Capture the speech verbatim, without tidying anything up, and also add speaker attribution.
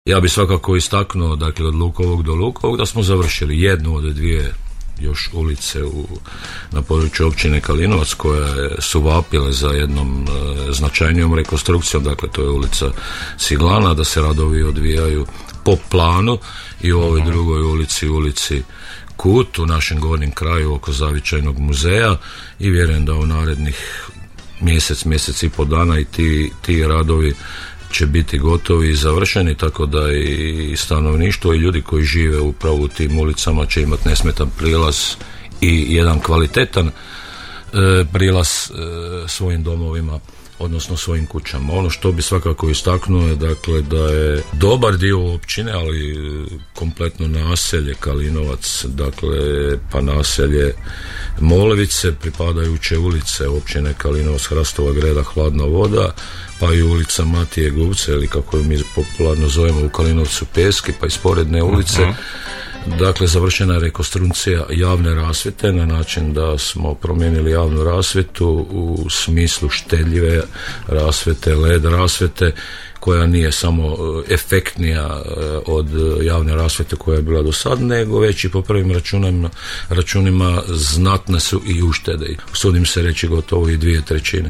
Speaker 1: Ja bih svakako istaknuo, dakle, od Lukovog do Lukovog da smo završili jednu od dvije još ulice u, na području općine Kalinovac koje su vapile za jednom e, značajnijom rekonstrukcijom, dakle to je ulica Ciglana, da se radovi odvijaju po planu i u ovoj drugoj ulici, ulici Kut, u našem gornjem kraju oko Zavičajnog muzeja, i vjerujem da u narednih mjesec, mjesec i po dana i ti, ti radovi će biti gotovi i završeni, tako da i stanovništvo i ljudi koji žive upravo u tim ulicama će imati nesmetan prilaz i jedan kvalitetan e, prilaz e, svojim domovima, odnosno svojim kućama. Ono što bi svakako istaknuo je, dakle, da je dobar dio općine, ali kompletno naselje Kalinovac, dakle pa naselje Molevice, pripadajuće ulice općine Kalinovac, Hrastova greda, Hladna voda, pa i ulica Matije Gubce, ili kako je mi popularno zovemo u Kalinovcu Peski, pa i sporedne ulice. Uh-huh. Dakle, završena je rekonstrukcija javne rasvjete na način da smo promijenili javnu rasvjetu u smislu štedljive rasvjete, el e de rasvjete, koja nije samo efektnija od javne rasvjete koja je bila do sad, nego već i po prvim računima, računima znatne su i uštede. Usudim se reći gotovo i dvije trećine.